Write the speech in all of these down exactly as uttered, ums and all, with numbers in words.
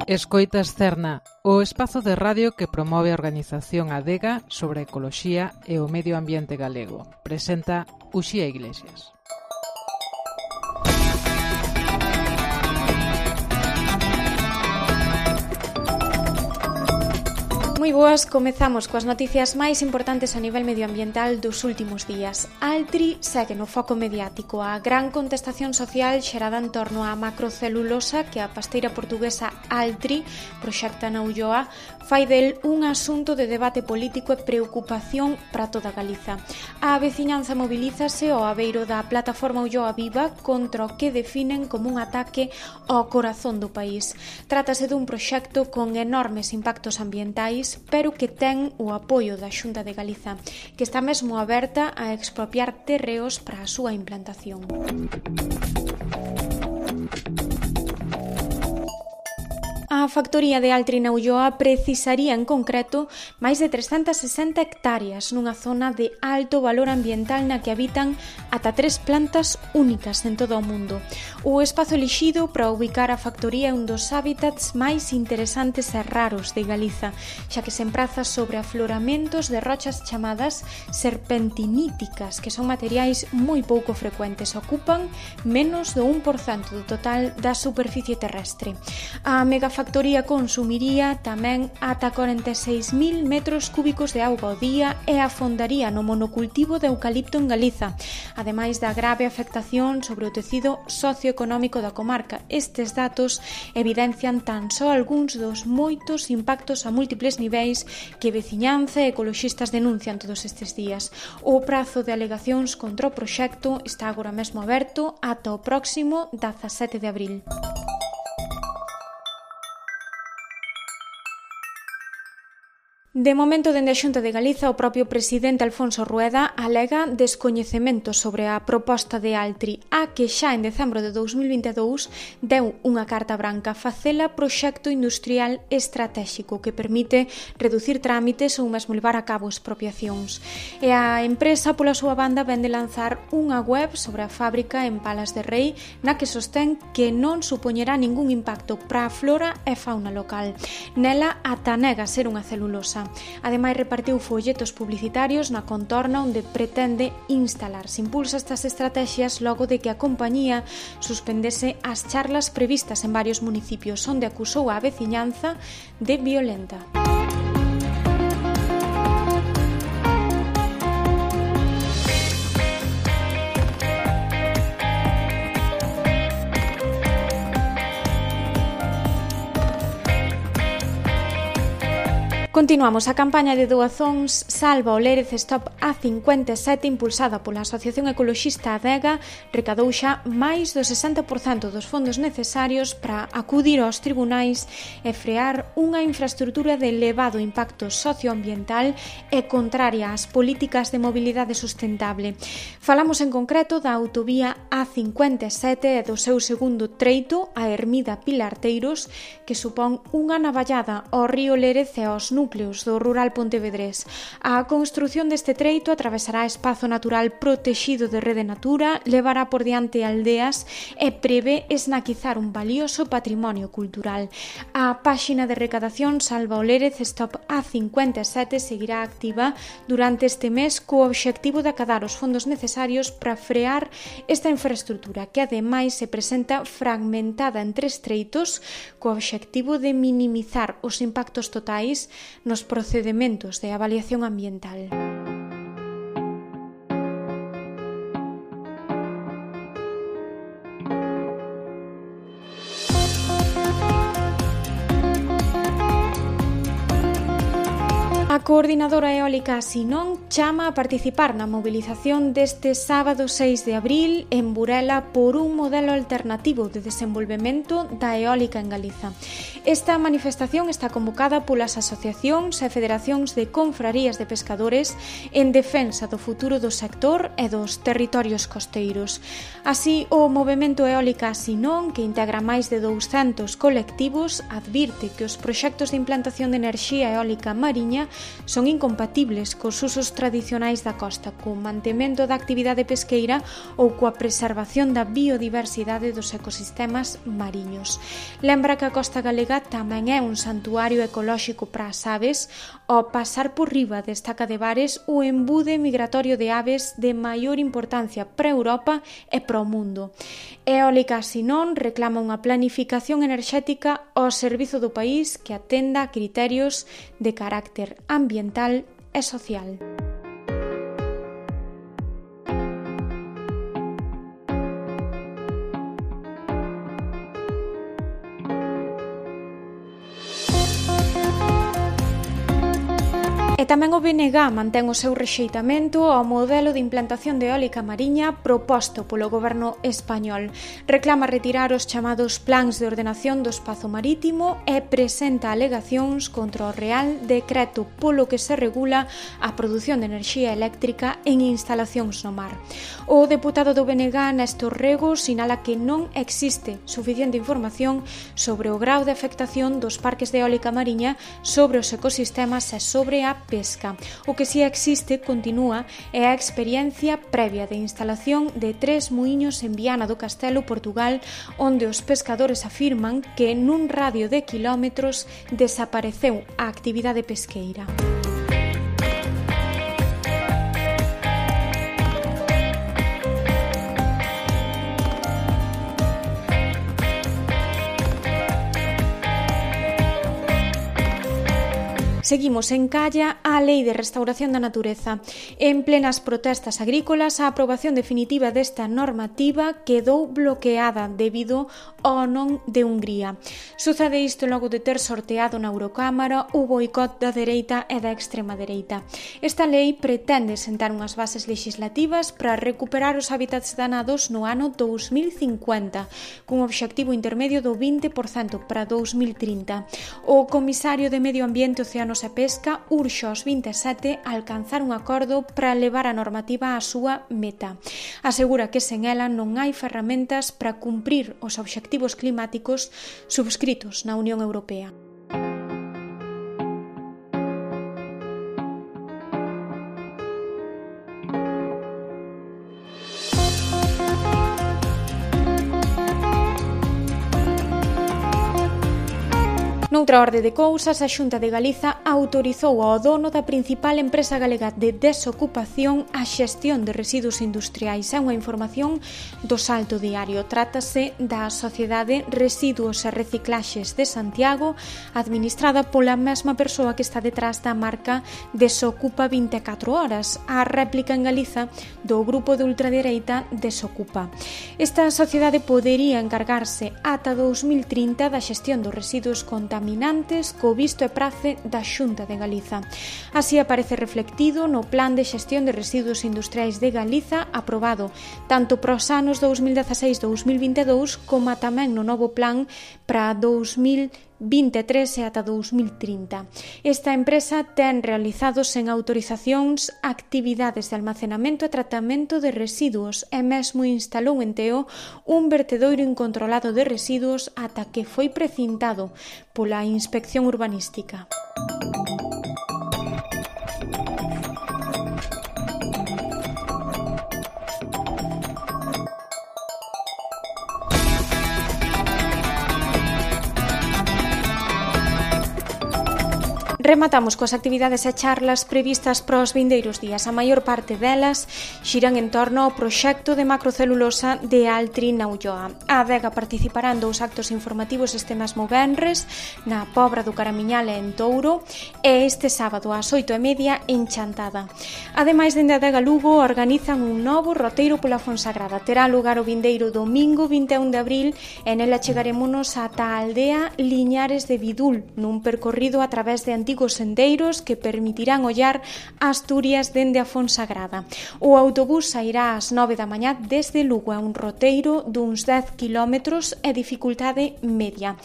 Escoitas Cerna, o espazo de radio que promove a organización Adega sobre a ecoloxía e o medio ambiente galego. Presenta Uxía Iglesias. Moi boas, comezamos coas noticias máis importantes a nivel medioambiental dos últimos días. Altri segue no foco mediático. A gran contestación social xerada en torno á macrocelulosa que a pasteira portuguesa Altri proxecta na Ulloa fai del un asunto de debate político e preocupación para toda Galiza. A veciñanza mobilízase ao abeiro da plataforma Ulloa Viva contra o que definen como un ataque ao corazón do país. Trátase dun proxecto con enormes impactos ambientais, pero que ten o apoio da Xunta de Galiza, que está mesmo aberta a expropiar terreos para a súa implantación. A factoría de Altri na Ulloa precisaría en concreto máis de trescentas sesenta hectáreas nunha zona de alto valor ambiental na que habitan ata tres plantas únicas en todo o mundo. O espazo elixido para ubicar a factoría é un dos hábitats máis interesantes e raros de Galiza, xa que se empraza sobre afloramentos de rochas chamadas serpentiníticas, que son materiais moi pouco frecuentes, ocupan menos do un por cento do total da superficie terrestre. A megafactoría A factoría consumiría tamén ata corenta e seis mil metros cúbicos de auga ao día e afondaría no monocultivo de eucalipto en Galiza, ademais da grave afectación sobre o tecido socioeconómico da comarca. Estes datos evidencian tan só algúns dos moitos impactos a múltiples niveis que veciñanza e ecoloxistas denuncian todos estes días. O prazo de alegacións contra o proxecto está agora mesmo aberto ata o próximo dezasete de abril. De momento, dende a Xunta de Galiza, o propio presidente Alfonso Rueda alega descoñecemento sobre a proposta de Altri, a que xa en decembro de dous mil vinte e dous deu unha carta branca, facela proxecto industrial estratéxico que permite reducir trámites ou mesmo levar a cabo expropiacións. E a empresa, pola súa banda, vende lanzar unha web sobre a fábrica en Palas de Rei na que sostén que non supoñerá ningún impacto para a flora e fauna local. Nela ata nega ser unha celulosa. Ademais, repartiu folletos publicitarios na contorna onde pretende instalarse. Impulsa estas estrategias logo de que a compañía suspendese as charlas previstas en varios municipios, onde acusou a veciñanza de violenta. Continuamos. A campaña de doazóns Salva o Lérez Stop A cincuenta e sete, impulsada pola Asociación Ecoloxista Adega, recadou xa máis do sesenta por cento dos fondos necesarios para acudir aos tribunais e frear unha infraestrutura de elevado impacto socioambiental e contraria ás políticas de mobilidade sustentable. Falamos en concreto da autovía A cincuenta e sete e do seu segundo treito, a Ermida Pilarteiros, que supón unha navallada ao río Lérez e aos núcleos núcleos do rural pontevedrés. A construción deste treito atravesará espazo natural protexido de Rede Natura, levará por diante aldeas e prevé esnaquizar un valioso patrimonio cultural. A páxina de recadación Salva o Lérez Stop A cincuenta e sete seguirá activa durante este mes co obxectivo de acadar os fondos necesarios para frear esta infraestrutura, que ademais se presenta fragmentada en tres treitos co obxectivo de minimizar os impactos totais nos procedementos de avaliación ambiental. A coordinadora eólica Sinón chama a participar na mobilización deste sábado seis de abril en Burela por un modelo alternativo de desenvolvemento da eólica en Galiza. Esta manifestación está convocada polas asociacións e federacións de confrarías de pescadores en defensa do futuro do sector e dos territorios costeiros. Así, o movemento eólica Sinón, que integra máis de douscentos colectivos, advirte que os proxectos de implantación de enerxía eólica mariña son incompatibles cos usos tradicionais da costa, co mantemento da actividade pesqueira ou coa preservación da biodiversidade dos ecosistemas mariños. Lembra que a costa galega tamén é un santuario ecolóxico para as aves. Ao pasar por riba desta Cadevares, o embude migratorio de aves de maior importancia para Europa e para o mundo. Eólica Sinón reclama unha planificación enerxética ao servizo do país que atenda a criterios de carácter ambiental e social. E tamén o B N G mantén o seu rexeitamento ao modelo de implantación de eólica mariña proposto polo goberno español. Reclama retirar os chamados plans de ordenación do espazo marítimo e presenta alegacións contra o Real Decreto polo que se regula a produción de enerxía eléctrica en instalacións no mar. O deputado do B N G, Néstor Rego, sinala que non existe suficiente información sobre o grau de afectación dos parques de eólica mariña sobre os ecosistemas e sobre a pesca. O que si existe, continúa, é a experiencia previa de instalación de tres muiños en Viana do Castelo, Portugal, onde os pescadores afirman que nun radio de quilómetros desapareceu a actividade pesqueira. Seguimos en Calla a Lei de Restauración da Natureza. En plenas protestas agrícolas, a aprobación definitiva desta normativa quedou bloqueada debido ao non de Hungría. Sucede isto logo de ter sorteado na Eurocámara o boicot da dereita e da extrema dereita. Esta lei pretende sentar unhas bases legislativas para recuperar os hábitats danados no ano dous mil cincuenta, cun obxectivo intermedio do vinte por cento para dous mil trinta. O comisario de Medio Ambiente, Océanos e Pesca urxe aos veintesete a alcanzar un acordo para levar a normativa á súa meta. Asegura que sen ela non hai ferramentas para cumprir os obxectivos climáticos subscritos na Unión Europea. Noutra orde de cousas, a Xunta de Galiza autorizou ao dono da principal empresa galega de desocupación a xestión de residuos industriais. É unha información do Salto Diario. Trátase da Sociedade Residuos e Reciclaxes de Santiago, administrada pola mesma persoa que está detrás da marca Desocupa vinte e catro horas, a réplica en Galiza do grupo de ultradereita Desocupa. Esta sociedade podería encargarse ata dous mil trinta da xestión dos residuos contaminantes co visto e prace da Xunta de Galiza. Así aparece reflectido no Plan de Xestión de Residuos Industriais de Galiza aprobado tanto para os anos dous mil dezaseis a dous mil vinte e dous como tamén no novo plan para dous mil vinte e tres e ata dous mil trinta. Esta empresa ten realizado sen autorizacións actividades de almacenamento e tratamento de residuos e mesmo instalou en Teo un vertedoiro incontrolado de residuos ata que foi precintado pola Inspección Urbanística. Rematamos coas actividades e charlas previstas para os vindeiros días. A maior parte delas xiran en torno ao proxecto de macrocelulosa de Altri na Ulloa. A adega participará en dous actos informativos este mesmo venres na Pobra do Caramiñal e en Touro e este sábado ás oito e media en Chantada. Ademais, dende a adega Lugo organizan un novo roteiro pola Fonsagrada. Terá lugar o vindeiro domingo vinte e un de abril e nela chegarémonos ata a aldea Liñares de Vidul nun percorrido a través de antigos sendeiros que permitirán ollar Asturias dende a Fonsagrada. O autobús sairá ás nove da mañá desde Lugo, a un roteiro duns dez quilómetros e dificultade media.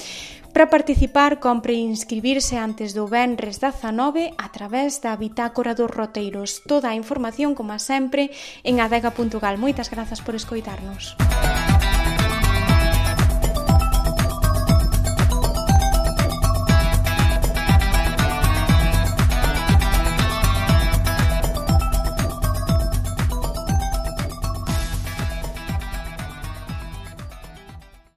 Para participar, compre inscribirse antes do venres dezanove a través da bitácora dos roteiros. Toda a información, como sempre, en adega punto gal. Moitas grazas por escoitarnos.